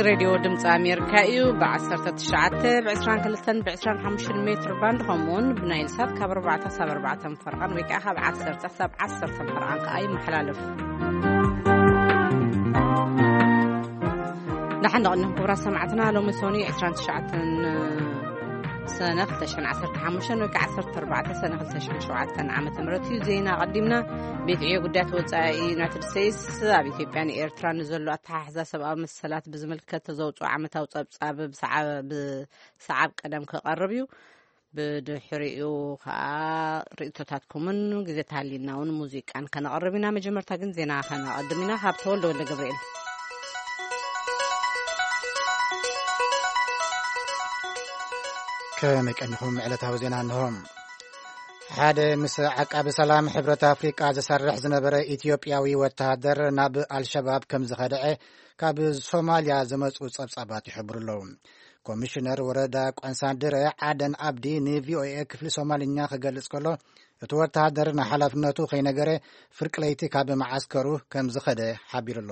ሬድዮ ድምፂ ኣሜሪካ እዩ። ብ19፣ ብ22፣ ብ25 ሜትር ባንድ፣ ከምኡውን ብናይል ሳት ካብ ኣርባዕተ ሳብ ኣርባዕተ ፈርቓን ወይ ከዓ ካብ ዓሰርተ ሳብ ዓሰርተ ፈርቓን ከዓ ይመሓላለፍ። ደሓን ደቕንኹም ክቡራት ሰማዕትና። ሎሚ ሶኒ 29 ሰነ 2015 ወይ ከዓ 14 ሰነ 2007 ዓመተ ምህረት እዩ። ዜና ኣቐዲምና። ቤት ዕዮ ጉዳያት ወፃኢ ዩናይትድ ስቴትስ ኣብ ኢትዮጵያን ኤርትራን ንዘሎ ኣተሓሕዛ ሰብኣዊ መሰላት ብዝምልከት ዘውፅኦ ዓመታዊ ፀብፃብ ብሰዓ-፣ ብሰዓብ ቀደም ክቐርብ እዩ። ብድሕሪኡ ከዓ ርእቶታትኩምን ግዜ ተሃሊና እውን ሙዚቃን ከነቐርብ ኢና። መጀመርታ ግን ዜና ከነቐድም ኢና። ካብ ተወልደ ወልደ ገብርኤል። ከመይ ቀኒኹም? ዕለታዊ ዜና እንሆ። ሓደ ምስ ዓቃቢ ሰላም ሕብረት ኣፍሪቃ ዝሰርሕ ዝነበረ ኢትዮጵያዊ ወተሃደር ናብ ኣልሸባብ ከም ዝኸደዐ ካብ ሶማልያ ዝመጹ ጸብጻባት ይሕብሩ ኣለዉ። ኮሚሽነር ወረዳ ቆንሳድረ ዓደን ኣብዲ ንቪኦኤ ክፍሊ ሶማልኛ ክገልጽ ከሎ፣ እቲ ወተሃደር ንሓላፍነቱ ከይነገረ ፍርቂ ለይቲ ካብ መዓስከሩ ከም ዝኸደ ሓቢሩ ኣሎ።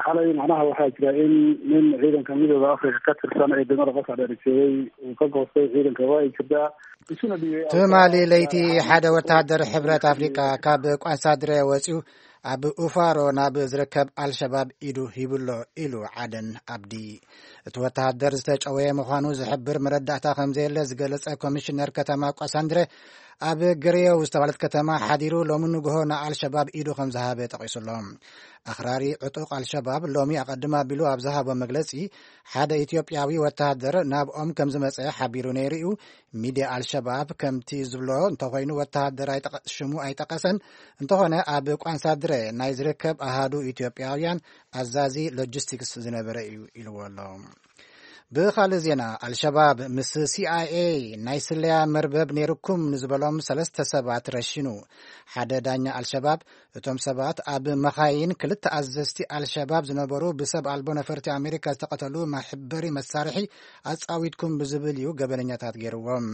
Xalay macnaha waxaa jira in nin ciidanka midooda Afrika ka tirsan ay dumar qof adeerisay uu ka goostay ciidanka waa ay jirtaa. Isuna dhiibay ትማሊ ለይቲ ሓደ ወተሃደር ሕብረት ኣፍሪቃ ካብ ቋንሳድረ ወፂኡ ኣብ ኡፋሮ ናብ ዝርከብ ኣልሸባብ ኢዱ ሂቡሎ ኢሉ ዓደን ኣብዲ። እቲ ወተሃደር ዝተጨወየ ምዃኑ ዝሕብር መረዳእታ ከም ዘየለ ዝገለጸ ኮሚሽነር ከተማ ቋንሳድረ፣ ኣብ ገሬዮ ዝተባህለት ከተማ ሓዲሩ ሎሚ ንግሆ ንኣልሸባብ ኢዱ ከም ዝሃበ ጠቒሱሎ። ኣኽራሪ ዕጡቕ ኣልሸባብ ሎሚ ኣቐድም ኣቢሉ ኣብ ዝሃቦ መግለጺ፣ ሓደ ኢትዮጵያዊ ወተሃደር ናብኦም ከም ዝመጸ ሓቢሩ ነይሩ እዩ። ሚድያ ኣልሸባብ ከምቲ ዝብሎ እንተኾይኑ፣ ወተሃደር ኣይጠቐ-፣ ሽሙ ኣይጠቐሰን። እንተኾነ፣ ኣብ ቋንሳድረ ናይ ዝርከብ ኣሃዱ ኢትዮጵያውያን ኣዛዚ ሎጂስቲክስ ዝነበረ እዩ ኢልዎ ኣሎ። ብኻልእ ዜና፣ ኣልሸባብ ምስ ሲኣይኤ ናይ ስለያ መርበብ ነይርኩም ንዝበሎም ሰለስተ ሰባት ረሺኑ። ሓደ ዳኛ ኣልሸባብ፣ እቶም ሰባት ኣብ መኻይን ክልተ ኣዘዝቲ ኣልሸባብ ዝነበሩ ብሰብ ኣልቦ ነፈርቲ ኣሜሪካ ዝተቐተሉ መሕበሪ መሳርሒ ኣጻዊትኩም ብዝብል እዩ ገበነኛታት ገይርዎም።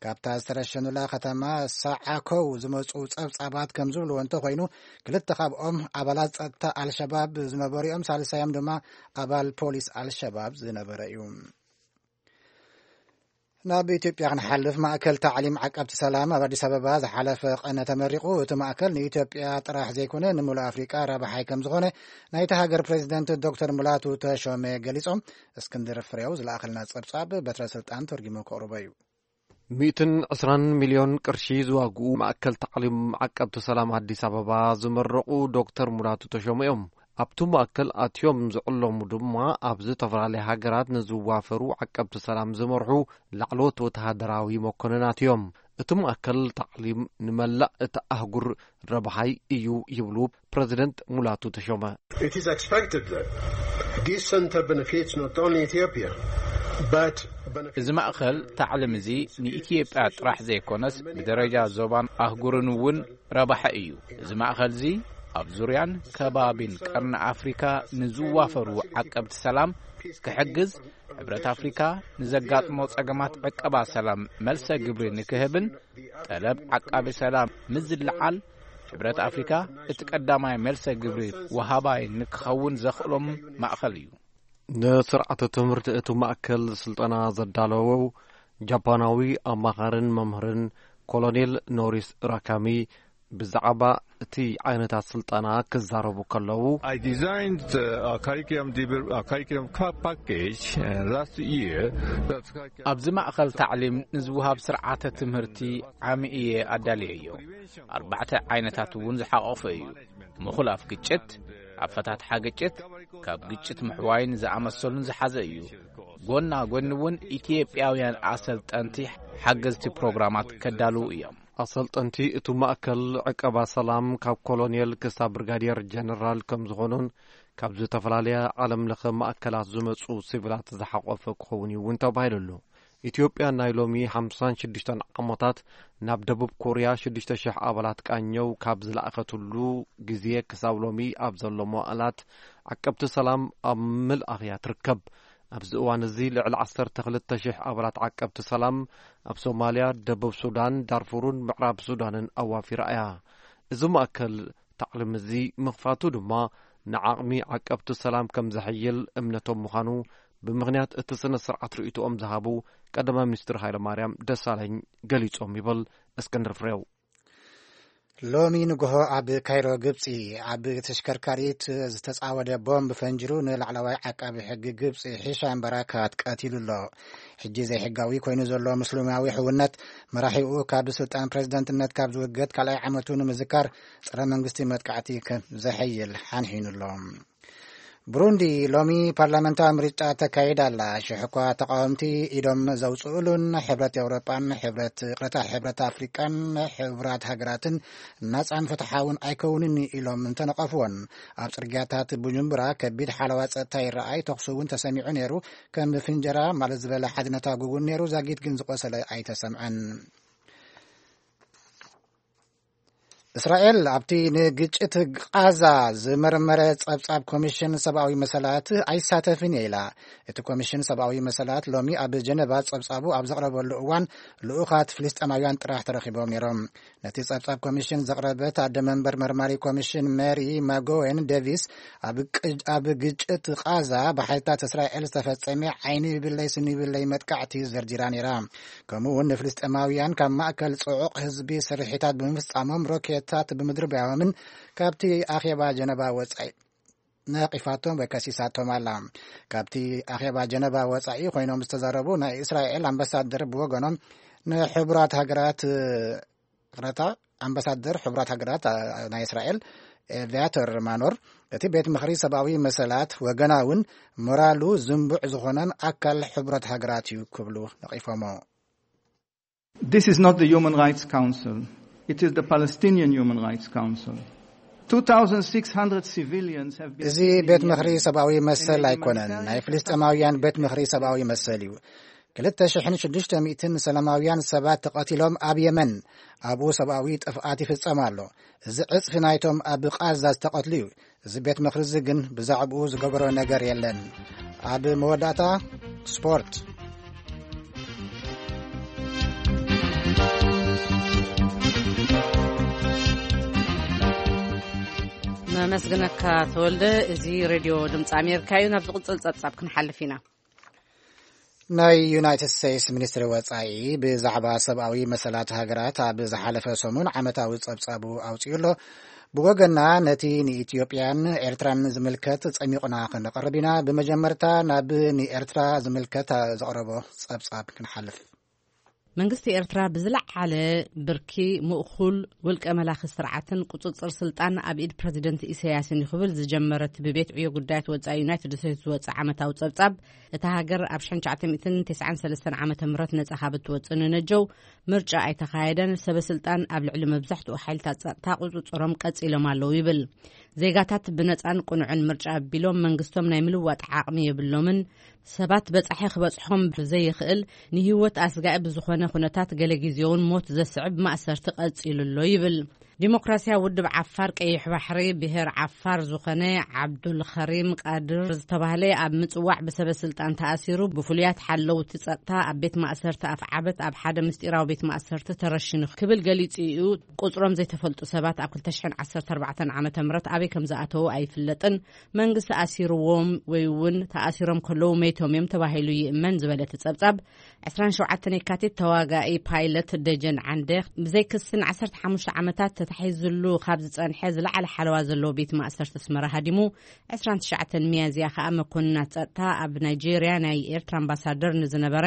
ካብታ ዝተረሸኑላ ከተማ ሳዓኮው ዝመጹ ጸብጻባት ከም ዝብልዎ እንተኾይኑ፣ ክልተ ካብኦም ኣባላት ጸጥታ ኣልሸባብ ዝነበሩ እዮም። ሳልሳዮም ድማ ኣባል ፖሊስ ኣልሸባብ ዝነበረ እዩ። ናብ ኢትዮጵያ ክንሓልፍ፣ ማእከል ታዕሊም ዓቀብቲ ሰላም ኣብ ኣዲስ ኣበባ ዝሓለፈ ቀነ ተመሪቑ። እቲ ማእከል ንኢትዮጵያ ጥራሕ ዘይኮነ፣ ንምሉእ ኣፍሪቃ ረብሓይ ከም ዝኾነ ናይቲ ሃገር ፕሬዚደንት ዶክተር ሙላቱ ተሾመ ገሊጾም። እስክንድር ፍሬው ዝለኣኸልና ጸብጻብ በትረ ስልጣን ተርጊሙ ከቕርቦ እዩ። ሚእትን ዕስራን ሚልዮን ቅርሺ ዝዋግኡ ማእከል ታዕሊም ዓቀብቲ ሰላም ኣዲስ ኣበባ ዝመረቑ ዶክተር ሙላቱ ተሾመ እዮም። ኣብቲ ማእከል ኣትዮም ዝዕለሙ ድማ ኣብ ዝተፈላለያ ሃገራት ንዝዋፈሩ ዓቀብቲ ሰላም ዝመርሑ ላዕለዎት ወተሃደራዊ መኮንናት እዮም። እቲ ማእከል ታዕሊም ንመላእ እታ ኣህጉር ረብሓይ እዩ ይብሉ ፕረዚደንት ሙላቱ ተሾመ። It is expected that this center benefits not only Ethiopia, but benefits እዚ ማእከል ታዕሊም እዚ ንኢትዮጵያ ጥራሕ ዘይኮነስ ብደረጃ ዞባን ኣህጉርን እውን ረባሒ እዩ። እዚ ማእከል እዚ ኣብ ዙርያን ከባቢን ቀርኒ ኣፍሪካ ንዝዋፈሩ ዓቀብቲ ሰላም ክሕግዝ፣ ሕብረት ኣፍሪካ ንዘጋጥሞ ጸገማት ዕቀባ ሰላም መልሰ ግብሪ ንክህብን ጠለብ ዓቃቢ ሰላም ምስ ዝለዓል፣ ሕብረት ኣፍሪካ እቲ ቀዳማይ መልሰ ግብሪ ወሃባይ ንክኸውን ዘኽእሎም ማእኸል እዩ። ንስርዓተ ትምህርቲ እቲ ማእከል ስልጠና ዘዳለወው ጃፓናዊ ኣማኻርን መምህርን ኮሎኔል ኖሪስ ራካሚ ብዛዕባ እቲ ዓይነታት ስልጠና ክዛረቡ ከለዉ፣ I designed uh, a curriculum, devel- a curriculum ca- package uh, last year. That curriculum ኣብዚ ማእኸል ታዕሊም ንዝወሃብ ስርዓተ ትምህርቲ ዓሚ እየ ኣዳልየዮ። ኣርባዕተ ዓይነታት እውን ዝሓቆፈ እዩ። ምኹላፍ ግጭት፣ ኣፈታትሓ ግጭት፣ ካብ ግጭት ምሕዋይን ዝኣመሰሉን ዝሓዘ እዩ። ጎና ጎኒ እውን ኢትዮጵያውያን ኣሰልጠንቲ ሓገዝቲ ፕሮግራማት ከዳልዉ እዮም። ኣሰልጠንቲ እቲ ማእከል ዕቀባ ሰላም ካብ ኮሎኔል ክሳብ ብርጋዴር ጀነራል ከም ዝኾኑን ካብ ዝተፈላለያ ዓለም ለኸ ማእከላት ዝመጹ ሲቪላት ዝሓቆፈ ክኸውን እዩ እውን ተባሂሉ ኣሎ። ኢትዮጵያ ናይ ሎሚ ሓምሳን ሽዱሽተን ዓመታት ናብ ደቡብ ኮርያ ሽዱሽተ ሽሕ ኣባላት ቃኘው ካብ ዝለኣኸትሉ ግዜ ክሳብ ሎሚ ኣብ ዘሎ መዋእላት ዓቀብቲ ሰላም ኣብ ምልኣኽ እያ ትርከብ። ኣብዚ እዋን እዚ ልዕሊ ዓሰርተ ክልተ ሽሕ ኣባላት ዓቀብቲ ሰላም ኣብ ሶማልያ፣ ደቡብ ሱዳን፣ ዳርፉርን ምዕራብ ሱዳንን ኣዋፊራ እያ። እዚ ማእከል ታዕሊም እዚ ምኽፋቱ ድማ ንዓቕሚ ዓቀብቲ ሰላም ከም ዘሐይል እምነቶም ምዃኑ ብምኽንያት እቲ ስነ ስርዓት ርእይቶኦም ዝሃቡ ቀዳማይ ሚኒስትር ሃይለማርያም ደሳለኝ ገሊጾም ይብል እስክንድር ፍሬው። ሎሚ ንግሆ ኣብ ካይሮ ግብጺ ኣብ ተሽከርካሪት ዝተጻወደ ቦምብ ፈንጅሩ ንላዕለዋይ ዓቃቢ ሕጊ ግብጺ ሂሻም ባራካት ቀቲሉ ኣሎ። ሕጂ ዘይሕጋዊ ኮይኑ ዘሎ ምስሉማዊ ሕውነት መራሒኡ ካብ ስልጣን ፕሬዝደንትነት ካብ ዝውገድ ካልኣይ ዓመቱ ንምዝካር ጸረ መንግስቲ መጥቃዕቲ ከም ዘሐይል ሓንሒኑ ኣሎ። ብሩንዲ ሎሚ ፓርላመንታዊ ምርጫ ተካይዳ ኣላ። ሽሕ እኳ ተቃወምቲ ኢዶም ዘውፅኡሉን ሕብረት ኤውሮጳን ሕብረት ቅረታ ሕብረት ኣፍሪቃን ሕቡራት ሃገራትን ናፃን ፍትሓውን ኣይከውንን ኢሎም እንተነቐፍዎን፣ ኣብ ፅርግያታት ቡጁምቡራ ከቢድ ሓለዋ ፀጥታ ይረኣይ። ተኹሲ እውን ተሰሚዑ ነይሩ። ከም ፍንጀራ ማለት ዝበለ ሓድነታ ጉጉን ነይሩ። ዛጊት ግን ዝቆሰለ ኣይተሰምዐን። እስራኤል ኣብቲ ንግጭት ቃዛ ዝመርመረ ጸብጻብ ኮሚሽን ሰብኣዊ መሰላት ኣይሳተፍን እየ ኢላ። እቲ ኮሚሽን ሰብኣዊ መሰላት ሎሚ ኣብ ጀነቫ ጸብጻቡ ኣብ ዘቕረበሉ እዋን ልኡኻት ፍልስጤማውያን ጥራሕ ተረኺቦም ነይሮም። ነቲ ጸብጻብ ኮሚሽን ዘቕረበት ኣደ መንበር መርማሪ ኮሚሽን ሜሪ ማጎዌን ዴቪስ ኣብ ቅ-፣ ኣብ ግጭት ቃዛ ብሓይልታት እስራኤል ዝተፈጸመ ዓይኒ ይብለይ ስኒ ይብለይ መጥቃዕቲ ዘርዚራ ነይራ። ከምኡ እውን ንፍልስጤማውያን ካብ ማእከል ጽዑቕ ህዝቢ ስርሒታት ብምፍጻሞም ሮኬታት ብምድርባዮምን ካብቲ ኣኼባ ጀነባ ወጻኢ ነቒፋቶም ወይ ከሲሳቶም ኣላ። ካብቲ ኣኼባ ጀነባ ወጻኢ ኮይኖም ዝተዛረቡ ናይ እስራኤል ኣምባሳደር ብወገኖም ንሕቡራት ሃገራት ቅረታ ኣምባሳደር ሕቡራት ሃገራት፣ ኣ፣ ናይ እስራኤል ኤቪያተር ማኖር እቲ ቤት ምኽሪ ሰብኣዊ መሰላት ወገናውን ሞራሉ ዝንቡዕ ዝኾነን ኣካል ሕቡራት ሃገራት እዩ ክብሉ ነቒፎሞ። This is not the Human Rights Council. It is the Palestinian Human Rights Council. two thousand six hundred civilians have been እዚ killed in ቤት ምኽሪ Yemen. ሰብኣዊ መሰል ኣይኮነን፣ ናይ ፍልስጤማውያን ቤት ምኽሪ ሰብኣዊ መሰል እዩ። ክልተ ሽሕን ሽዱሽተ ሚእትን ሰላማውያን ሰባት ተቐቲሎም ኣብ የመን፣ ኣብኡ ሰብኣዊ ጥፍኣት ይፍጸም ኣሎ። እዚ ዕጽፊ ናይቶም ኣብ ቃዛ ዝተቐትሉ እዩ። እዚ ቤት ምኽሪ እዚ ግን ብዛዕባኡ ዝገበሮ ነገር የለን። ኣብ መወዳእታ ስፖርት። መመስግነካ ተወልደ። እዚ ሬድዮ ድምፂ ኣሜሪካ እዩ። ናብ ዝቕጽል ጸብጻብ ክንሓልፍ ኢና። ናይ ዩናይትድ ስቴትስ ሚኒስትሪ ወጻኢ ብዛዕባ ሰብኣዊ መሰላት ሃገራት ኣብ ዝሓለፈ ሰሙን ዓመታዊ ጸብጻቡ ኣውጺኡ ኣሎ። ብወገና ነቲ ንኢትዮጵያን ኤርትራን ዝምልከት ጸሚቑና ክንቐርብ ኢና። ብመጀመርታ ናብ ንኤርትራ ዝምልከት ዘቕረቦ ጸብጻብ ክንሓልፍ። መንግስቲ ኤርትራ ብዝለዓለ ብርኪ ምእኹል ውልቀ መላኺ ስርዓትን ቁጽጽር ስልጣን ኣብ ኢድ ፕረዚደንት ኢሳያስን እዩ ክብል ዝጀመረ እቲ ብቤት ዕዮ ጉዳያት ወጻኢ ዩናይትድ ስቴትስ ዝወጽእ ዓመታዊ ጸብጻብ፣ እታ ሃገር ኣብ ሽሕን ትሽዓተ ሚእትን ተስዓን ሰለስተን ዓመተ ምህረት ነጻ ካብ እትወጽእ ንነጀው ምርጫ ኣይተኻየደን። ሰበ ስልጣን ኣብ ልዕሊ መብዛሕትኡ ሓይልታት ጸጥታ ቁጽጽሮም ቀጺሎም ኣለዉ ይብል። ዜጋታት ብነጻን ቅኑዕን ምርጫ ኣቢሎም መንግስቶም ናይ ምልዋጥ ዓቕሚ የብሎምን። ሰባት በጻሒ ክበጽሖም ብዘይኽእል፣ ንህይወት ኣስጋኢ ብዝኾነ ኩነታት ገለ ግዜ እውን ሞት ዘስዕብ ማእሰርቲ ቀጺሉ ኣሎ ይብል። ዲሞክራሲያዊ ውድብ ዓፋር ቀይሕ ባሕሪ ብሄር ዓፋር ዝኾነ ዓብዱል ኸሪም ቃድር ዝተባህለ ኣብ ምጽዋዕ ብሰበ ስልጣን ተኣሲሩ፣ ብፍሉያት ሓለውቲ ጸጥታ ኣብ ቤት ማእሰርቲ ኣፍዓበት ኣብ ሓደ ምስጢራዊ ቤት ማእሰርቲ ተረሺኑ ክብል ገሊጹ እዩ። ቁጽሮም ዘይተፈልጡ ሰባት ኣብ ክልተ ሽሕን ዓሰርተ ኣርባዕተን ዓመተ ምህረት ኣበይ ከም ዝኣተዉ ኣይፍለጥን። መንግስቲ ኣሲርዎም ወይ እውን ተኣሲሮም ከለዉ መይቶም እዮም ተባሂሉ ይእመን ዝበለ እቲ ጸብጻብ፣ ዕስራን ሸውዓተን የካቲት ተዋጋኢ ፓይለት ደጀን ዓንደ ብዘይ ክሲ ንዓሰርተ ሓሙሽተ ዓመታት ተታሒዝሉ ካብ ዝጸንሐ ዝለዓለ ሓለዋ ዘለዎ ቤት ማእሰርቲ ኣስመራ ሃዲሙ፣ ዕስራን ትሽዓተን ሚያዝያ ከኣ መኮንናት ጸጥታ ኣብ ናይጄርያ ናይ ኤርትራ ኣምባሳደር ንዝነበረ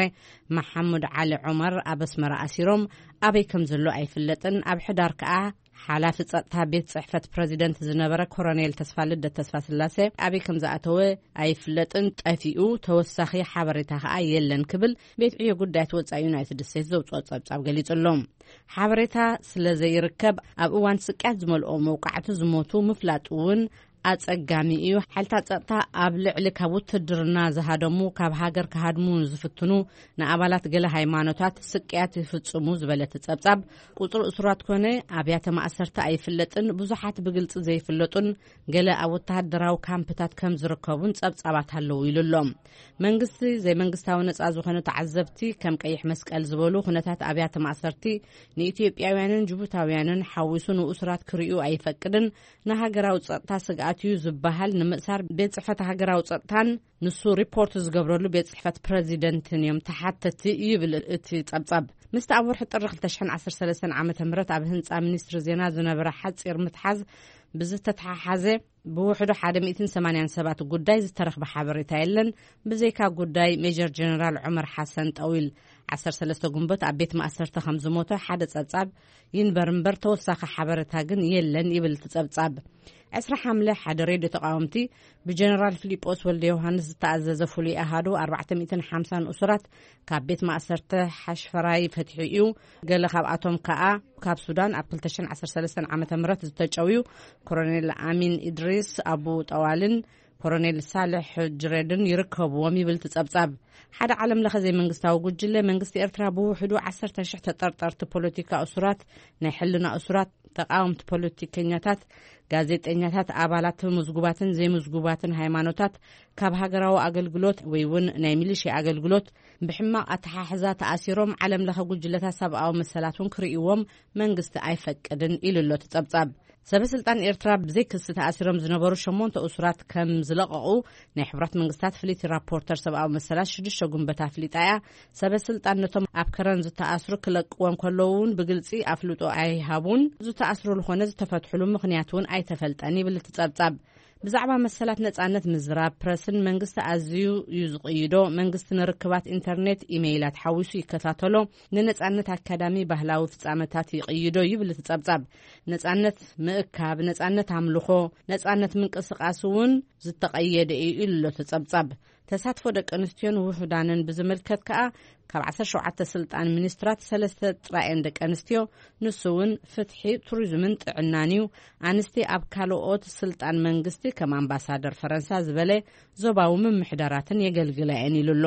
መሓሙድ ዓሊ ዑመር ኣብ ኣስመራ ኣሲሮም፣ ኣበይ ከም ዘሎ ኣይፍለጥን። ኣብ ሕዳር ከኣ ሓላፊ ጸጥታ ቤት ጽሕፈት ፕረዚደንት ዝነበረ ኮሎኔል ተስፋልደት ተስፋስላሴ ኣበይ ከም ዝኣተወ ኣይፍለጥን፣ ጠፊኡ፣ ተወሳኺ ሓበሬታ ከኣ የለን ክብል ቤት ዕዮ ጉዳያት ወጻኢ ዩናይትድ ስቴትስ ዘውጽኦ ጸብጻብ ገሊጹ ኣሎ። ሓበሬታ ስለ ዘይርከብ ኣብ እዋን ስቅያት ዝመልኦ መውቃዕቲ ዝሞቱ ምፍላጥ እውን ኣጸጋሚ እዩ። ሓይልታት ጸጥታ ኣብ ልዕሊ ካብ ውትድርና ዝሃደሙ፣ ካብ ሃገር ክሃድሙ ንዝፍትኑ ንኣባላት ገለ ሃይማኖታት ስቅያት ይፍጽሙ ዝበለ እቲ ጸብጻብ፣ ቁጽሪ እሱራት ኮነ ኣብያተ ማእሰርቲ ኣይፍለጥን፣ ብዙሓት ብግልጺ ዘይፍለጡን ገለ ኣብ ወተሃደራዊ ካምፕታት ከም ዝርከቡን ጸብጻባት ኣለዉ ኢሉ ኣሎ። መንግስቲ ዘይመንግስታዊ ነጻ ዝኾኑ ተዓዘብቲ ከም ቀይሕ መስቀል ዝበሉ ኩነታት ኣብያተ ማእሰርቲ ንኢትዮጵያውያንን ጅቡታውያንን ሓዊሱ ንእሱራት ክርእዩ ኣይፈቅድን፣ ንሃገራዊ ጸጥታ ስግኣት እዩ ዝበሃል ንምእሳር ቤት ጽሕፈት ሃገራዊ ጸጥታን ንሱ ሪፖርት ዝገብረሉ ቤት ጽሕፈት ፕረዚደንትን እዮም ተሓተቲ ይብል እቲ ጸብጻብ። ምስቲ ኣብ ወርሒ ጥሪ ክልተ ሽሕን ዓሰርተ ሰለስተን ዓመተ ምህረት ኣብ ህንጻ ሚኒስትሪ ዜና ዝነበረ ሓጺር ምትሓዝ ብዝተተሓሓዘ ብውሕዱ ሓደ ሚእትን ሰማንያን ሰባት ጉዳይ ዝተረኽበ ሓበሬታ የለን፣ ብዘይካ ጉዳይ ሜጀር ጀነራል ዑመር ሓሰን ጠዊል ዓሰርተ ሰለስተ ጉንበት ኣብ ቤት ማእሰርቲ ከም ዝሞተ ሓደ ጸብጻብ ይንበር እምበር ተወሳኺ ሓበሬታ ግን የለን ይብል እቲ ጸብጻብ። ዕስራ ሓምለ ሓደ ሬድዮ ተቃወምቲ ብጀነራል ፊሊጶስ ወልደ ዮሃንስ ዝተኣዘዘ ፍሉይ ኣሃዱ ኣርባዕተ ሚእትን ሓምሳን እሱራት ካብ ቤት ማእሰርቲ ሓሽፈራይ ፈትሑ እዩ። ገለ ካብኣቶም ከኣ ካብ ሱዳን ኣብ ክልተ ሽሕን ዓሰርተ ሰለስተን ዓመተ ምህረት ዝተጨውዩ ኮሎኔል ኣሚን ኢድሪስ ኣቡ ጠዋልን ኮሎኔል ሳልሕ ጅሬድን ይርከብዎም ይብል እቲ ጸብጻብ። ሓደ ዓለም ለኸ ዘይመንግስታዊ ጉጅለ መንግስቲ ኤርትራ ብውሕዱ ዓሰርተ ሽሕ ተጠርጠርቲ ፖለቲካ እሱራት፣ ናይ ሕልና እሱራት፣ ተቃወምቲ ፖለቲከኛታት፣ ጋዜጠኛታት፣ ኣባላት ምዝጉባትን ዘይምዝጉባትን ሃይማኖታት ካብ ሃገራዊ ኣገልግሎት ወይ እውን ናይ ሚሊሽያ ኣገልግሎት ብሕማቕ ኣተሓሕዛ ተኣሲሮም ዓለም ለኸ ጉጅለታት ሰብኣዊ መሰላት እውን ክርእይዎም መንግስቲ ኣይፈቅድን ኢሉ ኣሎ እቲ ጸብጻብ። ሰበ ስልጣን ኤርትራ ብዘይ ክሲ ተኣሲሮም ዝነበሩ ሸሞንተ እሱራት ከም ዝለቐቑ ናይ ሕቡራት መንግስታት ፍልይቲ ራፖርተር ሰብኣዊ መሰላት ሽዱሽተ ጉንበት ኣፍሊጣ እያ። ሰበ ስልጣን ነቶም ኣብ ከረን ዝተኣስሩ ክለቅዎም ከለዉ እውን ብግልጺ ኣፍልጦ ኣይሃቡን። ዝተኣስሩሉ ኮነ ዝተፈትሑሉ ምኽንያት እውን ኣይተፈልጠን ይብል እቲ ጸብጻብ። ብዛዕባ መሰላት ነጻነት ምዝራብ ፕረስን መንግስቲ ኣዝዩ እዩ ዝቕይዶ። መንግስቲ ንርክባት ኢንተርኔት፣ ኢሜይላት ሓዊሱ ይከታተሎ። ንነጻነት ኣካዳሚ ባህላዊ ፍጻመታት ይቕይዶ ይብል እቲ ጸብጻብ። ነጻነት ምእካብ፣ ነጻነት ኣምልኾ፣ ነጻነት ምንቅስቃስ እውን ዝተቐየደ እዩ ኢሉ ኣሎ እቲ ጸብጻብ። ተሳትፎ ደቂ ኣንስትዮን ውሑዳንን ብዝምልከት ከኣ ካብ ዓሰርተ ሸውዓተ ስልጣን ሚኒስትራት ሰለስተ ጥራየን ደቂ ኣንስትዮ፣ ንሱ እውን ፍትሒ፣ ቱሪዝምን ጥዕናን እዩ። ኣንስቲ ኣብ ካልኦት ስልጣን መንግስቲ ከም ኣምባሳደር ፈረንሳ ዝበለ ዞባዊ ምምሕዳራትን የገልግላ እየን ኢሉ ኣሎ።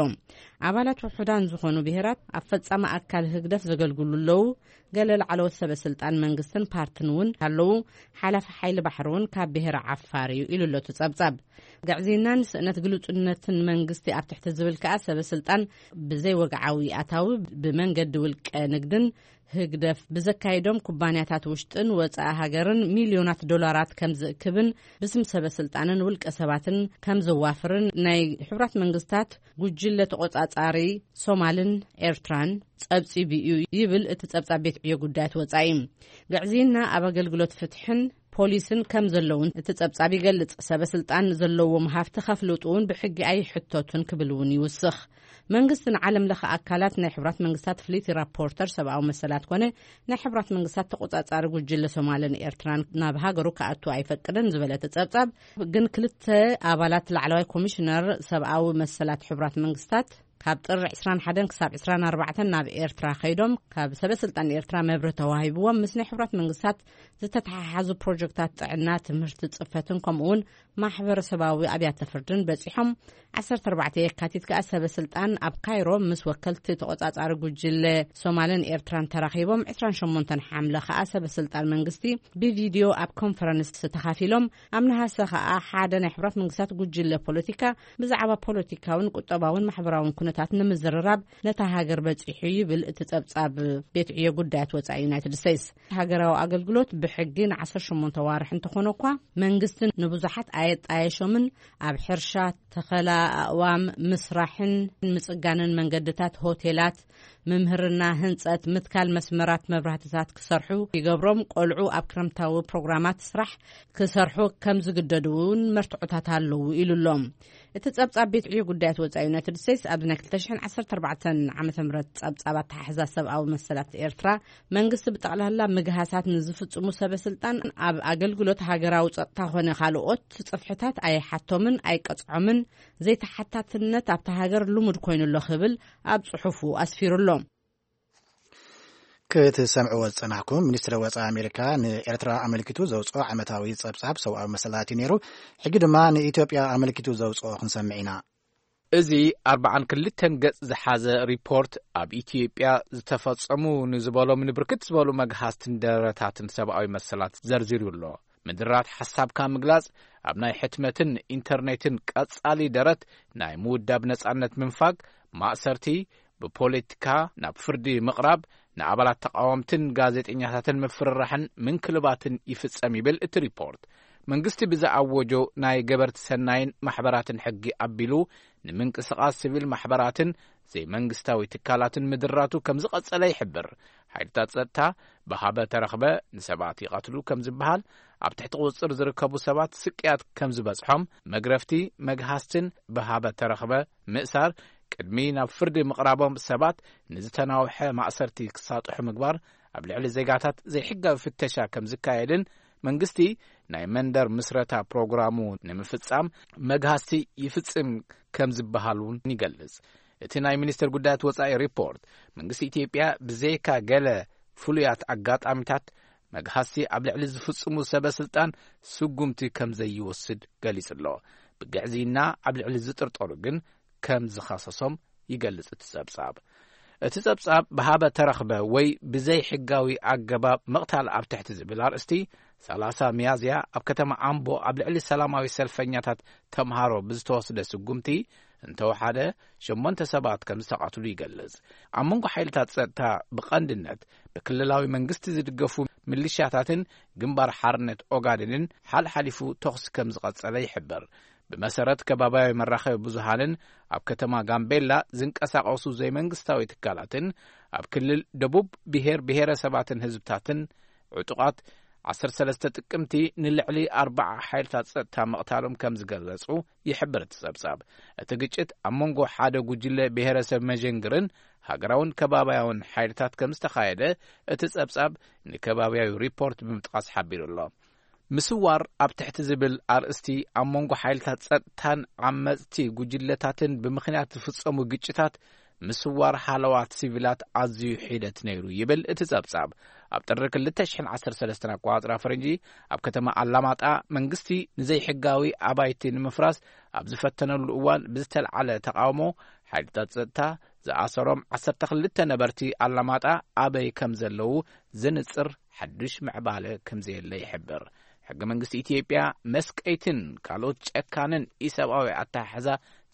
ኣባላት ውሑዳን ዝኾኑ ብሄራት ኣብ ፈጻሚ ኣካል ህግደፍ ዘገልግሉ ኣለዉ። ገለ ላዕለዎት ሰበ ስልጣን መንግስትን ፓርትን እውን ኣለዉ። ሓላፊ ሓይሊ ባሕሪ እውን ካብ ብሄረ ዓፋር እዩ ኢሉ ኣሎ እቲ ጸብጻብ። ግዕዝይናን ስእነት ግሉጽነትን መንግስቲ ኣብ ትሕቲ ዝብል ከኣ ሰበ ስልጣን ብዘይ ወግዓዊ ኣታዊ ብመንገዲ ውልቀ ንግድን ህግደፍ ብዘካይዶም ኩባንያታት ውሽጥን ወጻኢ ሃገርን ሚልዮናት ዶላራት ከም ዝእክብን ብስም ሰበ ስልጣንን ውልቀ ሰባትን ከም ዘዋፍርን ናይ ሕቡራት መንግስታት ጉጅለ ተቆጻጻሪ ሶማልን ኤርትራን ጸብጺቡ እዩ ይብል እቲ ጸብጻብ ቤት ዕዮ ጉዳያት ወጻኢ። ግዕዝይና ኣብ ኣገልግሎት ፍትሕን ፖሊስን ከም ዘለውን እቲ ጸብጻብ ይገልጽ። ሰበ ስልጣን ዘለዎም ሃፍቲ ከፍልጡ እውን ብሕጊ ኣይሕተቱን ክብል እውን ይውስኽ። መንግስቲ ንዓለም ለኸ ኣካላት ናይ ሕቡራት መንግስታት ፍልይቲ ራፖርተር ሰብኣዊ መሰላት ኮነ ናይ ሕቡራት መንግስታት ተቆጻጻሪ ጉጅለ ሶማልን ኤርትራን ናብ ሃገሩ ክኣቱ ኣይፈቅድን ዝበለ እቲ ጸብጻብ፣ ግን ክልተ ኣባላት ላዕለዋይ ኮሚሽነር ሰብኣዊ መሰላት ሕቡራት መንግስታት ካብ ጥሪ ዕስራን ሓደን ክሳብ ዕስራን ኣርባዕተን ናብ ኤርትራ ከይዶም ካብ ሰበ ስልጣን ኤርትራ መብርሂ ተዋሂብዎም ምስ ናይ ሕቡራት መንግስታት ዝተተሓሓዙ ፕሮጀክታት ጥዕና፣ ትምህርቲ፣ ጽፈትን ከምኡ እውን ማሕበረሰባዊ ኣብያተ ፍርድን በጺሖም። ዓሰርተ ኣርባዕተ የካቲት ከኣ ሰበ ስልጣን ኣብ ካይሮ ምስ ወከልቲ ተቆጻጻሪ ጉጅለ ሶማልን ኤርትራን ተራኺቦም። ዕስራን ሸሞንተን ሓምለ ከኣ ሰበ ስልጣን መንግስቲ ብቪድዮ ኣብ ኮንፈረንስ ተኻፊሎም። ኣብ ነሃሰ ከኣ ሓደ ናይ ሕቡራት መንግስታት ጉጅለ ፖለቲካ ብዛዕባ ፖለቲካውን ቁጠባውን ማሕበራውን ኩነታት ንምዝርራብ ነታ ሃገር በጺሑ ይብል እቲ ጸብጻብ ቤት ዕዮ ጉዳያት ወጻኢ ዩናይትድ ስቴትስ። ሃገራዊ ኣገልግሎት ብሕጊ ንዓሰርተ ሸሞንተ ዋርሕ እንተኾነ እኳ መንግስቲ ንብዙሓት ኣየጣየሾምን ኣብ ሕርሻ፣ ተኸላ ኣእዋም፣ ምስራሕን ምጽጋንን መንገድታት፣ ሆቴላት፣ ምምህርና፣ ህንጸት፣ ምትካል መስመራት መብራህትታት ክሰርሑ ይገብሮም። ቆልዑ ኣብ ክረምታዊ ፕሮግራማት ስራሕ ክሰርሑ ከም ዝግደዱ እውን መርትዖታት ኣለዉ ኢሉ ኣሎ። እቲ ጸብጻብ ቤት ዕዮ ጉዳያት ወጻኢ ዩናይትድ ስቴትስ ኣብዚ ናይ ክልተ ሽሕን ዓሰርተ ኣርባዕተን ዓመተ ምህረት ጸብጻብ ኣተሓሕዛ ሰብኣዊ መሰላት ኤርትራ መንግስቲ ብጠቕላላ ምግሃሳት ንዝፍጽሙ ሰበ ስልጣን ኣብ ኣገልግሎት ሃገራዊ ጸጥታ ኾነ ካልኦት ጽፍሕታት ኣይሓቶምን ኣይቀጽዖምን። ዘይተሓታትነት ኣብታ ሃገር ልሙድ ኮይኑ ኣሎ ክብል ኣብ ጽሑፉ ኣስፊሩ ኣሎ። ክትሰምዕዎ ዝጸናሕኩም፣ ሚኒስትሪ ወጻኢ ኣሜሪካ ንኤርትራ ኣመልኪቱ ዘውጽኦ ዓመታዊ ጸብጻብ ሰብኣዊ መሰላት እዩ ነይሩ። ሕጂ ድማ ንኢትዮጵያ ኣመልኪቱ ዘውጽኦ ክንሰምዕ ኢና። እዚ ኣርባዓን ክልተን ገጽ ዝሓዘ ሪፖርት ኣብ ኢትዮጵያ ዝተፈጸሙ ንዝበሎም ንብርክት ዝበሉ መግሃስትን ደረታትን ሰብኣዊ መሰላት ዘርዚሩ ኣሎ። ምድራት ሓሳብካ ምግላጽ፣ ኣብ ናይ ሕትመትን ኢንተርኔትን ቀጻሊ ደረት ናይ ምውዳብ ነጻነት ምንፋግ፣ ማእሰርቲ፣ ብፖለቲካ ናብ ፍርዲ ምቕራብ፣ ንኣባላት ተቓወምትን ጋዜጠኛታትን ምፍርራሕን ምንክልባትን ይፍጸም ይብል እቲ ሪፖርት። መንግስቲ ብዝኣወጆ ናይ ገበርቲ ሰናይን ማሕበራትን ሕጊ ኣቢሉ ንምንቅስቓስ ሲቪል ማሕበራትን ዘይመንግስታዊ ትካላትን ምድራቱ ከም ዝቐጸለ ይሕብር። ሓይልታት ጸጥታ ብሃበ ተረኽበ ንሰባት ይቐትሉ ከም ዝበሃል፣ ኣብ ትሕቲ ቁጽጽር ዝርከቡ ሰባት ስቅያት ከም ዝበጽሖም፣ መግረፍቲ፣ መግሃስትን ብሃበ ተረኽበ ምእሳር ቅድሚ ናብ ፍርዲ ምቕራቦም ሰባት ንዝተናውሐ ማእሰርቲ ክሳጥሑ ምግባር፣ ኣብ ልዕሊ ዜጋታት ዘይሕጋዊ ፍተሻ ከም ዝካየድን መንግስቲ ናይ መንደር ምስረታ ፕሮግራሙ ንምፍጻም መግሃስቲ ይፍጽም ከም ዝበሃል እውን ይገልጽ። እቲ ናይ ሚኒስትር ጉዳያት ወጻኢ ሪፖርት፣ መንግስቲ ኢትዮጵያ ብዘይካ ገለ ፍሉያት ኣጋጣሚታት መግሃስቲ ኣብ ልዕሊ ዝፍጽሙ ሰበ ስልጣን ስጉምቲ ከም ዘይወስድ ገሊጹ ኣሎ። ብግዕዝይና ኣብ ልዕሊ ዝጥርጠሩ ግን ከም ዝኸሰሶም ይገልጽ እቲ ጸብጻብ። እቲ ጸብጻብ ብሃበ ተረኽበ ወይ ብዘይ ሕጋዊ ኣገባብ ምቕታል ኣብ ትሕቲ ዝብል ኣርእስቲ፣ ሰላሳ ሚያዝያ ኣብ ከተማ ኣምቦ ኣብ ልዕሊ ሰላማዊ ሰልፈኛታት ተምሃሮ ብዝተወስደ ስጉምቲ እንተወሓደ ሸሞንተ ሰባት ከም ዝተቐትሉ ይገልጽ። ኣብ መንጎ ሓይልታት ጸጥታ ብቐንድነት ብክልላዊ መንግስቲ ዝድገፉ ሚሊሻታትን ግንባር ሓርነት ኦጋዴንን ሓልሓሊፉ ተኹሲ ከም ዝቐጸለ ይሕብር። ብመሰረት ከባብያዊ መራኸቢ ብዙሃንን ኣብ ከተማ ጋምቤላ ዝንቀሳቐሱ ዘይመንግስታዊ ትካላትን ኣብ ክልል ደቡብ ብሄር ብሄረሰባትን ህዝብታትን ዕጡቓት ዓሰርተ ሰለስተ ጥቅምቲ ንልዕሊ ኣርባዓ ሓይልታት ጸጥታ ምቕታሎም ከም ዝገለጹ ይሕብር እቲ ጸብጻብ። እቲ ግጭት ኣብ መንጎ ሓደ ጉጅለ ብሄረሰብ መጀንግርን ሃገራውን ከባብያውን ሓይልታት ከም ዝተኻየደ እቲ ጸብጻብ ንከባብያዊ ሪፖርት ብምጥቃስ ሓቢሩ ኣሎ። ምስዋር ኣብ ትሕቲ ዝብል ኣርእስቲ ኣብ መንጎ ሓይልታት ጸጥታን ዓመጽቲ ጉጅለታትን ብምኽንያት ዝፍጸሙ ግጭታት ምስዋር ሃለዋት ሲቪላት ኣዝዩ ሒደት ነይሩ ይብል እቲ ጸብጻብ። ኣብ ጥሪ ክልተ ሽሕን ዓሰርተ ሰለስተን ኣቆጻጽራ ፈረንጂ ኣብ ከተማ ኣላማጣ መንግስቲ ንዘይሕጋዊ ኣባይቲ ንምፍራስ ኣብ ዝፈተነሉ እዋን ብዝተልዓለ ተቃውሞ ሓይልታት ጸጥታ ዝኣሰሮም ዓሰርተ ክልተ ነበርቲ ኣላማጣ ኣበይ ከም ዘለዉ ዝንጽር ሓድሽ ምዕባለ ከም ዘየለ ይሕብር። ሕገ መንግስቲ ኢትዮጵያ መስቀይትን ካልኦት ጨካንን ኢሰብኣዊ ኣተሓሕዛ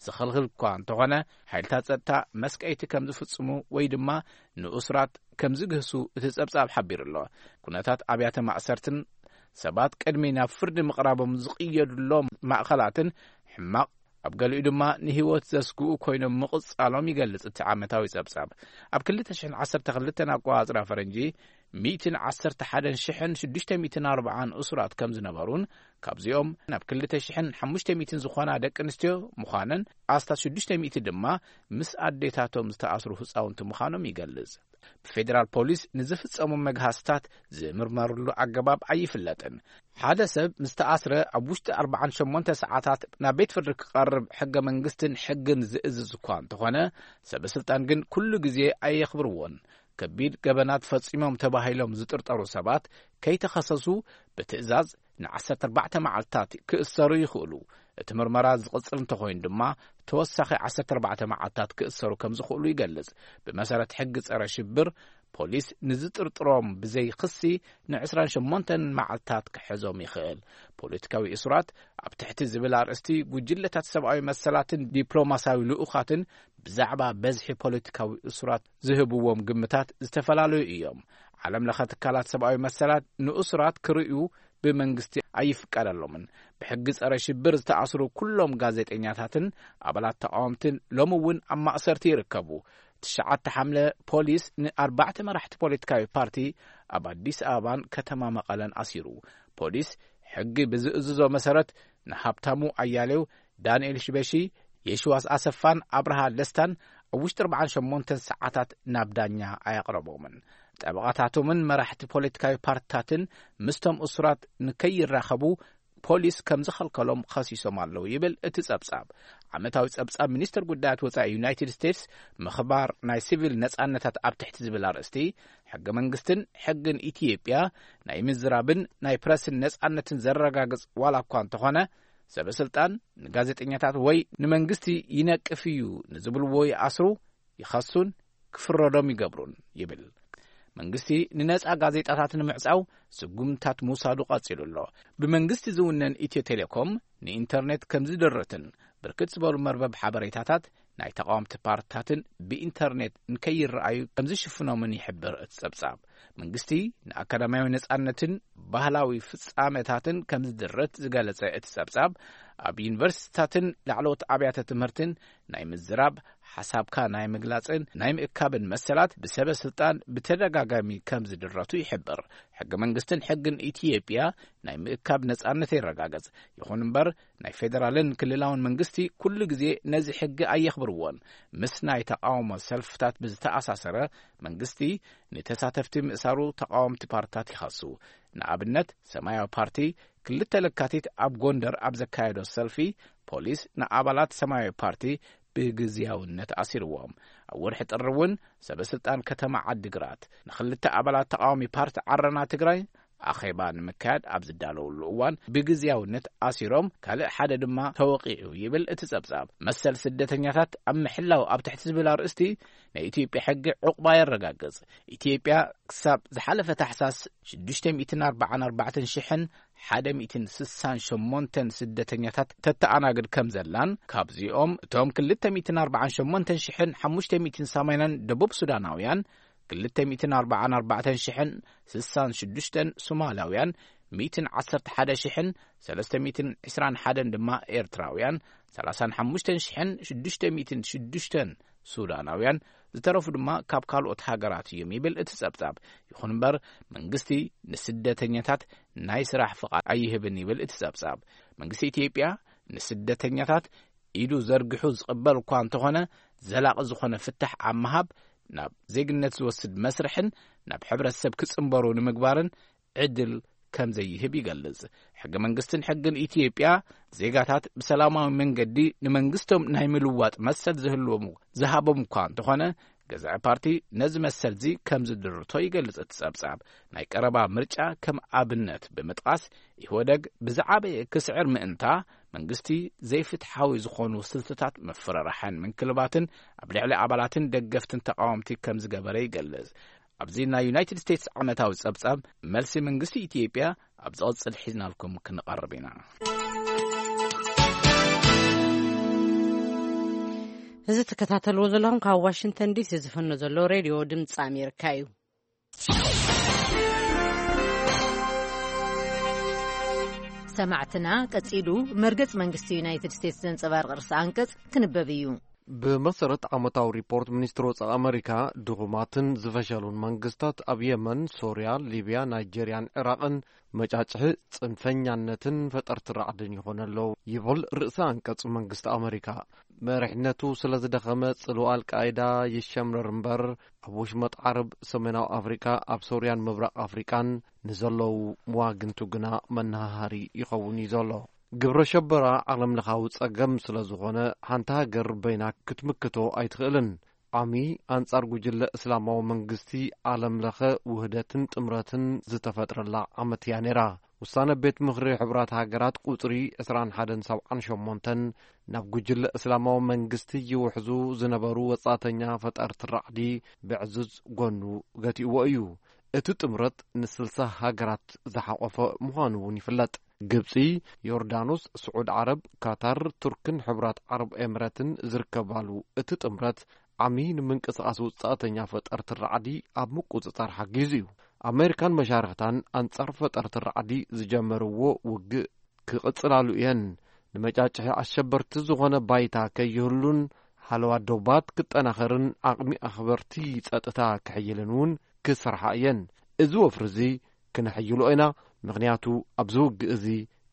ዝኽልኽል እኳ እንተኾነ፣ ሓይልታት ጸጥታ መስቀይቲ ከም ዝፍጽሙ ወይ ድማ ንእሱራት ከም ዝግህሱ እቲ ጸብጻብ ሓቢሩ ኣሎ። ኩነታት ኣብያተ ማእሰርትን ሰባት ቅድሚ ናብ ፍርዲ ምቕራቦም ዝቕየዱሎም ማእኸላትን ሕማቕ፣ ኣብ ገሊኡ ድማ ንህይወት ዘስግኡ ኮይኖም ምቕጻሎም ይገልጽ እቲ ዓመታዊ ጸብጻብ። ኣብ ክልተ ሽሕን ዓሰርተ ክልተን ኣቆጻጽራ ፈረንጂ፣ ሚእትን ዓሰርተ ሓደን ሽሕን ሽዱሽተ ሚእትን ኣርባዓን እሱራት ከም ዝነበሩን ካብዚኦም ናብ ክልተ ሽሕን ሓሙሽተ ሚእትን ዝኾና ደቂ ኣንስትዮ ምዃነን፣ ኣስታት ሽዱሽተ ሚእቲ ድማ ምስ ኣዴታቶም ዝተኣስሩ ህጻውንቲ ምዃኖም ይገልጽ። ብፌዴራል ፖሊስ ንዝፍጸሙ መግሃስታት ዝምርመርሉ ኣገባብ ኣይፍለጥን። ሓደ ሰብ ምስ ተኣስረ ኣብ ውሽጢ ኣርባዓን ሸሞንተ ሰዓታት ናብ ቤት ፍርዲ ክቐርብ ሕገ መንግስትን ሕግን ዝእዝዝ እኳ እንተኾነ፣ ሰበ ስልጣን ግን ኩሉ ግዜ ኣየኽብርዎን። ከቢድ ገበናት ፈጺሞም ተባሂሎም ዝጥርጠሩ ሰባት ከይተኸሰሱ ብትእዛዝ ንዓሰርተ ኣርባዕተ መዓልታት ክእሰሩ ይኽእሉ። እቲ ምርመራ ዝቕጽል እንተኾይኑ ድማ ተወሳኺ ዓሰርተ ኣርባዕተ መዓልታት ክእሰሩ ከም ዝኽእሉ ይገልጽ። ብመሰረት ሕጊ ጸረ ሽብር፣ ፖሊስ ንዝጥርጥሮም ብዘይ ክሲ ንዕስራን ሸሞንተን መዓልታት ክሕዞም ይኽእል። ፖለቲካዊ እሱራት ኣብ ትሕቲ ዝብል ኣርእስቲ ጉጅለታት ሰብኣዊ መሰላትን ዲፕሎማሲያዊ ልኡኻትን ብዛዕባ በዝሒ ፖለቲካዊ እሱራት ዝህብዎም ግምታት ዝተፈላለዩ እዮም። ዓለም ለኸ ትካላት ሰብኣዊ መሰላት ንእሱራት ክርእዩ ብመንግስቲ ኣይፍቀደሎምን። ብሕጊ ጸረ ሽብር ዝተኣስሩ ኩሎም ጋዜጠኛታትን ኣባላት ተቃወምትን ሎሚ እውን ኣብ ማእሰርቲ ይርከቡ። ትሽዓተ ሓምለ ፖሊስ ንኣርባዕተ መራሕቲ ፖለቲካዊ ፓርቲ ኣብ ኣዲስ ኣበባን ከተማ መቐለን ኣሲሩ። ፖሊስ ሕጊ ብዝእዝዞ መሰረት ንሃብታሙ ኣያሌው፣ ዳንኤል ሽበሺ፣ የሽዋስ ኣሰፋን ኣብርሃ ደስታን ኣብ ውሽጢ ኣርባዓን ሸሞንተን ሰዓታት ናብ ዳኛ ኣየቕረቦምን። ጠበቓታቶምን መራሕቲ ፖለቲካዊ ፓርትታትን ምስቶም እሱራት ንከይራኸቡ ፖሊስ ከም ዝኸልከሎም ኸሲሶም ኣለዉ ይብል እቲ ጸብጻብ። ዓመታዊ ጸብጻብ ሚኒስትር ጉዳያት ወጻኢ ዩናይትድ ስቴትስ፣ ምኽባር ናይ ሲቪል ነጻነታት ኣብ ትሕቲ ዝብል ኣርእስቲ፣ ሕገ መንግስትን ሕግን ኢትዮጵያ ናይ ምዝራብን ናይ ፕረስን ነጻነትን ዘረጋግጽ ዋላ እኳ እንተኾነ፣ ሰበ ስልጣን ንጋዜጠኛታት ወይ ንመንግስቲ ይነቅፍ እዩ ንዝብልዎ ይኣስሩ፣ ይኸሱን ክፍረዶም ይገብሩን ይብል። መንግስቲ ንነጻ ጋዜጣታት ንምዕጻው ስጉምታት ምውሳዱ ቀጺሉ ኣሎ። ብመንግስቲ ዝውነን ኢትዮ ቴሌኮም ንኢንተርኔት ከም ዝድርትን ብርክት ዝበሉ መርበብ ሓበሬታታት ናይ ተቓወምቲ ፓርትታትን ብኢንተርኔት ንከይረኣዩ ከም ዝሽፍኖምን ይሕብር እቲ ጸብጻብ። መንግስቲ ንኣካዳሚያዊ ነጻነትን ባህላዊ ፍጻመታትን ከም ዝድርት ዝገለጸ እቲ ጸብጻብ፣ ኣብ ዩኒቨርሲቲታትን ላዕለዎት ኣብያተ ትምህርትን ናይ ምዝራብ፣ ሓሳብካ ናይ ምግላጽን ናይ ምእካብን መሰላት ብሰበ ስልጣን ብተደጋጋሚ ከም ዝድረቱ ይሕብር። ሕገ መንግስትን ሕግን ኢትዮጵያ ናይ ምእካብ ነጻነት የረጋግጽ። ይኹን እምበር፣ ናይ ፌደራልን ክልላውን መንግስቲ ኩሉ ግዜ ነዚ ሕጊ ኣየኽብርዎን። ምስ ናይ ተቓውሞ ሰልፍታት ብዝተኣሳሰረ፣ መንግስቲ ንተሳተፍቲ ምእሳሩ ተቓወምቲ ፓርትታት ይኸሱ። ንኣብነት፣ ሰማያዊ ፓርቲ ክልተ ለካቲት ኣብ ጎንደር ኣብ ዘካየዶ ሰልፊ፣ ፖሊስ ንኣባላት ሰማያዊ ፓርቲ ብግዝያውነት ኣሲርዎም። ኣብ ወርሒ ጥሪ እውን ሰበ ስልጣን ከተማ ዓዲግራት ንኽልተ ኣባላት ተቓዋሚ ፓርቲ ዓረና ትግራይ ኣኼባ ንምክያድ ኣብ ዝዳለውሉ እዋን ብግዝያውነት ኣሲሮም፣ ካልእ ሓደ ድማ ተወቒዑ ይብል እቲ ጸብጻብ። መሰል ስደተኛታት ኣብ ምሕላው ኣብ ትሕቲ ዝብል ኣርእስቲ ናይ ኢትዮጵያ ሕጊ ዕቑባ የረጋግጽ። ኢትዮጵያ ክሳብ ዝሓለፈ ታሕሳስ ሽዱሽተ ሚእትን ኣርባዓን ኣርባዕተን ሽሕን ሓደ ሚእትን ስሳን ሸሞንተን ስደተኛታት ተተኣናግድ ከም ዘላን፣ ካብዚኦም እቶም ክልተ ሚእትን ኣርባዓን ሸሞንተን ሽሕን ሓሙሽተ ሚእትን ሰማንያን ደቡብ ሱዳናውያን፣ ክልተ ሚእትን ኣርባዓን ኣርባዕተን ሽሕን ስሳን ሽዱሽተን ሶማላውያን፣ ሚእትን ዓሰርተ ሓደ ሽሕን ሰለስተ ሚእትን ዕስራን ሓደን ድማ ኤርትራውያን፣ ሰላሳን ሓሙሽተን ሽሕን ሽዱሽተ ሚእትን ሽዱሽተን ሱዳናውያን፣ ዝተረፉ ድማ ካብ ካልኦት ሃገራት እዮም ይብል እቲ ጸብጻብ። ይኹን እምበር፣ መንግስቲ ንስደተኛታት ናይ ስራሕ ፍቓድ ኣይህብን ይብል እቲ ጸብጻብ። መንግስቲ ኢትዮጵያ ንስደተኛታት ኢዱ ዘርጊሑ ዝቕበል እኳ እንተኾነ፣ ዘላቒ ዝኾነ ፍታሕ ኣብ ምሃብ፣ ናብ ዜግነት ዝወስድ መስርሕን ናብ ሕብረተሰብ ክጽንበሩ ንምግባርን ዕድል ከም ዘይህብ ይገልጽ። ሕገ መንግስትን ሕግን ኢትዮጵያ፣ ዜጋታት ብሰላማዊ መንገዲ ንመንግስቶም ናይ ምልዋጥ መሰል ዝህልዎም፣ ዝሃቦም እኳ እንተኾነ፣ ገዛኢ ፓርቲ ነዚ መሰልዚ ከም ዝድርቶ ይገልጽ እቲ ጸብጻብ። ናይ ቀረባ ምርጫ ከም ኣብነት ብምጥቃስ፣ ኢህወደግ ብዝዓበየ ክስዕር ምእንታ፣ መንግስቲ ዘይፍትሓዊ ዝኾኑ ስልትታት ምፍርራሕን ምንክልባትን ኣብ ልዕሊ ኣባላትን ደገፍትን ተቓወምቲ ከም ዝገበረ ይገልጽ። ኣብዚ ናይ ዩናይትድ ስቴትስ ዓመታዊ ጸብጻብ፣ መልሲ መንግስቲ ኢትዮጵያ፣ ኣብ ዝቕጽል ሒዝናልኩም ክንቐርብ ኢና። እዚ ትከታተልዎ ዘለኹም ካብ ዋሽንግተን ዲሲ ዝፍኖ ዘሎ ሬድዮ ድምፂ ኣሜሪካ እዩ። ሰማዕትና፣ ቀጺሉ መርገጽ መንግስቲ ዩናይትድ ስቴትስ ዘንጸባርቕ ርእሰ ኣንቀጽ ክንበብ እዩ። ብመሰረት ዓመታዊ ሪፖርት ሚኒስትሪ ወጻኢ ኣመሪካ፣ ድኹማትን ዝፈሸሉን መንግስታት ኣብ የመን፣ ሶርያ፣ ሊብያ፣ ናይጀርያን ዒራቕን መጫጭሒ ጽንፈኛነትን ፈጠርቲ ራዕድን ይኾኑ ኣለዉ ይብል ርእሰ ኣንቀጽ መንግስቲ ኣመሪካ። መሪሕነቱ ስለ ዝደኸመ ጽልዋ ኣልቃይዳ ይሸምረር እምበር፣ ኣብ ወሽመጥ ዓረብ፣ ሰሜናዊ ኣፍሪቃ፣ ኣብ ሶርያን ምብራቕ ኣፍሪቃን ንዘለዉ መዋግንቱ ግና መነሃሃሪ ይኸውን እዩ ዘሎ። ግብረ ሸበራ ዓለም ለኻዊ ጸገም ስለ ዝኾነ፣ ሓንቲ ሃገር በይና ክትምክቶ ኣይትኽእልን። ዓሚ ኣንጻር ጉጅለ እስላማዊ መንግስቲ ዓለም ለኸ ውህደትን ጥምረትን ዝተፈጥረላ ዓመት እያ ነይራ። ውሳነ ቤት ምኽሪ ሕቡራት ሃገራት ቁጽሪ ዕስራን ሓደን ሰብዓን ሸሞንተን ናብ ጉጅለ እስላማዊ መንግስቲ ይውሕዙ ዝነበሩ ወጻእተኛ ፈጠርቲ ራዕዲ ብዕዙዝ ጎኑ ገቲእዎ እዩ። እቲ ጥምረት ንስልሳ ሃገራት ዝሓቖፈ ምዃኑ እውን ይፍለጥ። ግብጺ፣ ዮርዳኖስ፣ ስዑድ ዓረብ፣ ካታር፣ ቱርክን ሕቡራት ዓረብ ኤምረትን ዝርከባሉ እቲ ጥምረት ዓሚ ንምንቅስቓስ ውጻእተኛ ፈጠርቲ ራዕዲ ኣብ ምቁጽጻር ሓጊዙ እዩ። ኣሜሪካን መሻርኽታን ኣንጻር ፈጠርቲ ራዕዲ ዝጀመርዎ ውግእ ክቕጽላሉ እየን። ንመጫጭሒ ኣሸበርቲ ዝኾነ ባይታ ከይህሉን ሓለዋ ዶባት ክጠናኸርን ዓቕሚ ኣኽበርቲ ጸጥታ ክሕይልን እውን ክሰርሓ እየን። እዚ ወፍሪ እዚ ክነሕይሎ ኢና፣ ምኽንያቱ ኣብዚ ውግእ እዚ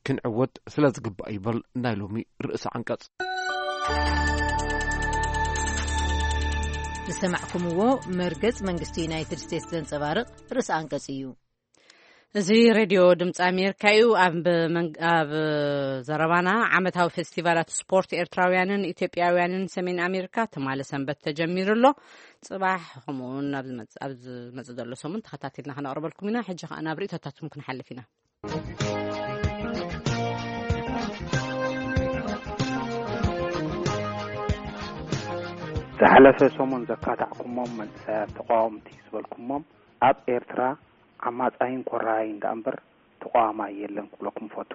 ክንዕወት ስለ ዝግባእ ይብል ናይ ሎሚ ርእሰ ዓንቀጽ። ዝሰማዕኩምዎ መርገጽ መንግስቲ ዩናይትድ ስቴትስ ዘንጸባርቕ ርእሰ ኣንቀጽ እዩ። እዚ ሬድዮ ድምፂ ኣሜሪካ እዩ። ኣብ መንግ-፣ ኣብ ዘረባና ዓመታዊ ፌስቲቫላት ስፖርት ኤርትራውያንን ኢትዮጵያውያንን ሰሜን ኣሜሪካ ትማሊ ሰንበት ተጀሚሩ ኣሎ። ጽባሕ ከምኡ እውን ኣብ ዝመጽ-፣ ኣብ ዝመጽእ ዘሎ ሰሙን ተኸታቲልና ከነቕርበልኩም ኢና። ሕጂ ከኣ ናብ ርእይቶታትኩም ክንሓልፍ ኢና። ዝሓለፈ ሰሙን ዘካታዕኩሞም መንእሰያት ተቃወምቲ ዝበልኩሞም ኣብ ኤርትራ ዓማጻይን ኮራይን ደኣ እምበር ተቃዋማይ የለን ክብለኩም ፈቱ።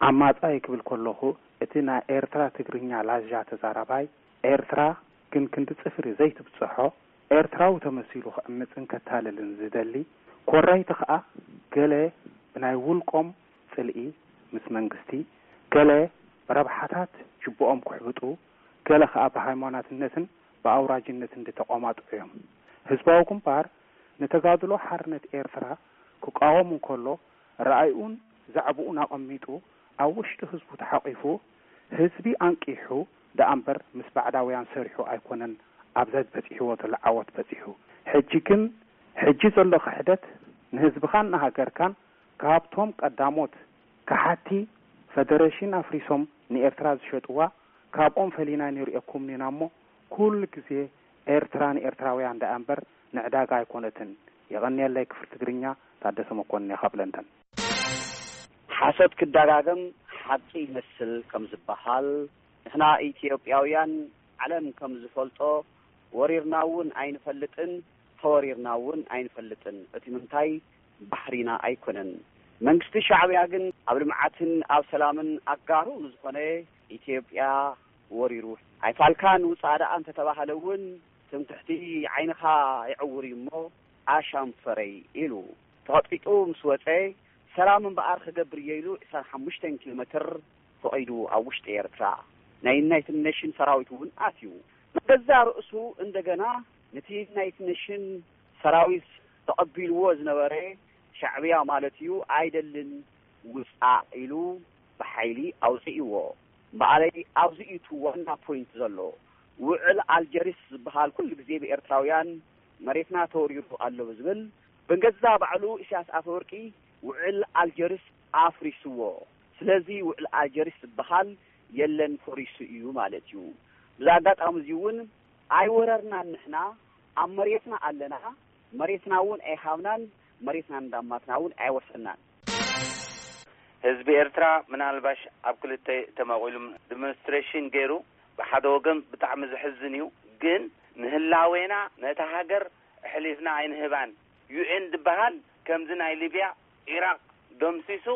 ዓማጻይ ክብል ከለኹ እቲ ናይ ኤርትራ ትግርኛ ላዛ ተዛራባይ ኤርትራ ግን ክንዲ ጽፍሪ ዘይትብጽሖ፣ ኤርትራዊ ተመሲሉ ክዕምጽን ከታልልን ዝደሊ፣ ኮራይቲ ከኣ ገለ ብናይ ውልቆም ጽልኢ ምስ መንግስቲ፣ ገለ ብረብሓታት ጅብኦም ክሕብጡ፣ ገለ ከኣ ብሃይማኖትነትን ብኣውራጅነትን ዝተቖማጥዑ እዮም። ህዝባዊ ግንባር ንተጋድሎ ሓርነት ኤርትራ ክቃወም እንከሎ፣ ረኣይኡን ዛዕባኡን ኣቐሚጡ፣ ኣብ ውሽጢ ህዝቡ ተሓቒፉ፣ ህዝቢ ኣንቂሑ ደኣ እምበር ምስ ባዕዳውያን ሰሪሑ ኣይኮነን ኣብ ዘበጺሕዎ ዘሎ ዓወት በጺሑ። ሕጂ ግን፣ ሕጂ ዘሎ ክሕደት ንህዝብኻን ንሃገርካን ካብቶም ቀዳሞት ከሓቲ ፈደረሽን ኣፍሪሶም ንኤርትራ ዝሸጥዋ፣ ካብኦም ፈሊና ንርእየኩም ኢና እሞ፣ ኩሉ ግዜ ኤርትራ ንኤርትራውያን ደኣ እምበር ንዕዳጋ ኣይኮነትን። የቐንየለይ ክፍሊ ትግርኛ፣ ታደሰ መኮንን እየ ካብ ለንደን። ሓሶት ክደጋገም ሓቂ ይመስል ከም ዝበሃል፣ ንሕና ኢትዮጵያውያን ዓለም ከም ዝፈልጦ ወሪርና እውን ኣይንፈልጥን፣ ተወሪርና እውን ኣይንፈልጥን። እቲ ምንታይ ባህሪና ኣይኮነን። መንግስቲ ሻዕብያ ግን ኣብ ልምዓትን ኣብ ሰላምን ኣጋሩ ንዝኾነ ኢትዮጵያ ወሪሩ። ኣይፋልካን ውጻእ ደኣ እንተተባህለ እውን ትምክሕቲ ዓይንኻ ይዕውር እዩ እሞ ኣሻም ፈረይ ኢሉ ተቐጥቂጡ ምስ ወጸ፣ ሰላም እምበኣር ክገብር እየ ኢሉ ዕስራን ሓሙሽተን ኪሎ ሜትር ፈቒዱ ኣብ ውሽጢ ኤርትራ ናይ ዩናይትድ ኔሽን ሰራዊት እውን ኣትዩ። ንገዛእ ርእሱ እንደገና ነቲ ዩናይትድ ኔሽን ሰራዊት ተቐቢልዎ ዝነበረ ሻዕብያ ማለት እዩ ኣይደልን ውጻእ ኢሉ ብሓይሊ ኣውጺእዎ። በኣለይ ኣብዚ እዩ እቲ ዋና ፖይንት ዘሎ። ውዕል ኣልጀሪስ ዝበሃል ኩሉ ግዜ ብኤርትራውያን መሬትና ተወሪሩ ኣሎ ብዝብል ብገዛ ባዕሉ ኢሳያስ ኣፈወርቂ ውዕል ኣልጀሪስ ኣፍሪስዎ። ስለዚ ውዕል ኣልጀሪስ ዝበሃል የለን፣ ፈሪሱ እዩ ማለት እዩ። ብዛ ኣጋጣሚ እዚ እውን ኣይወረርናን፣ ንሕና ኣብ መሬትና ኣለና፣ መሬትና እውን ኣይሃብናን፣ መሬትና እንዳማትና እውን ኣይወሰናን። ህዝቢ ኤርትራ ምናልባሽ ኣብ ክልተ ተመቒሉ ዲሞንስትሬሽን ገይሩ፣ ብሓደ ወገን ብጣዕሚ ዘሕዝን እዩ። ግን ንህላዌና ነታ ሃገር ኣሕሊፍና ኣይንህባን። ዩኤን ዝበሃል ከምዚ ናይ ሊብያ፣ ኢራቕ ደምሲሱ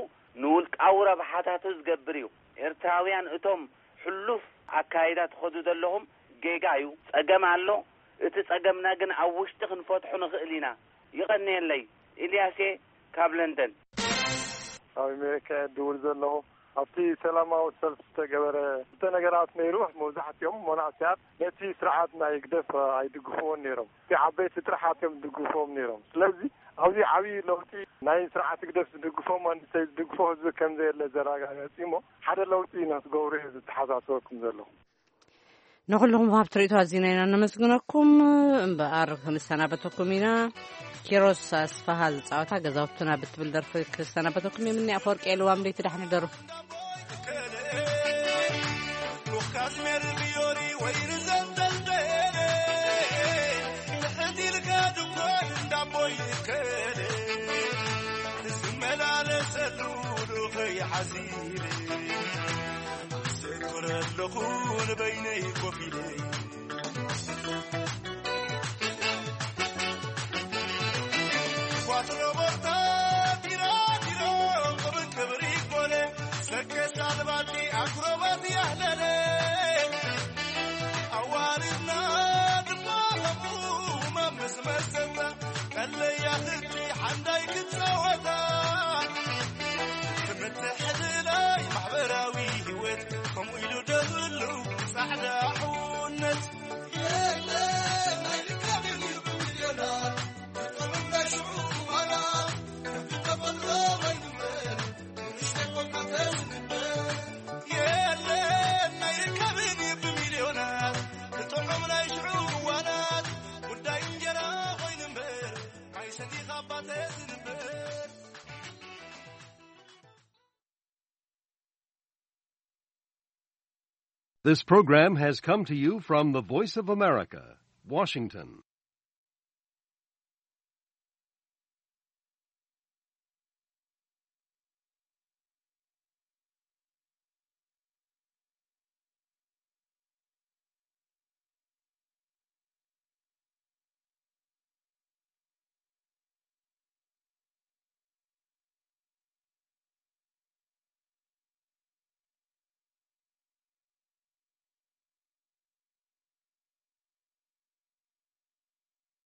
ንውልቃዊ ረብሓታቱ ዝገብር እዩ። ኤርትራውያን እቶም ሕሉፍ ኣካይዳ ትኸዱ ዘለኹም ጌጋ እዩ። ጸገም ኣሎ። እቲ ጸገምና ግን ኣብ ውሽጢ ክንፈትሖ ንኽእል ኢና። ይቐንየለይ። ኢልያስ እየ ካብ ለንደን። ካብ ኣሜሪካ እየ ድውል ዘለኹ። ኣብቲ ሰላማዊ ሰልፊ ዝተገበረ ክልተ ነገራት ነይሩ። መብዛሕትኦም መናእሰያት ነቲ ስርዓት ናይ ህግደፍ ኣይድግፍዎን ነይሮም። እቲ ዓበይቲ ጥርሓት እዮም ዝድግፍዎም ነይሮም። ስለዚ ኣብዚ ዓብዪ ለውጢ ናይ ስርዓት ህግደፍ ዝድግፎ መንእሰይ ዝድግፎ ህዝቢ ከም ዘየለ ዘረጋገጽ እዩ እሞ ሓደ ለውጢ ንክትገብሩ እየ ዝተሓሳስበኩም ዘለኹ። ንኹልኹም ወሃብቲ ርእይቶ ኣዚና ኢና ነመስግነኩም። እምበኣር ክንሰናበተኩም ኢና። ኪሮስ ኣስፋሃ ዝጻወታ ገዛውትና ብትብል ደርፊ ክሰናበተኩም እየ። ምኒ ኣፈወርቂ የልዋም ለይቲ ዳሕኒ ደሩ። This program has come to you from the Voice of America, Washington.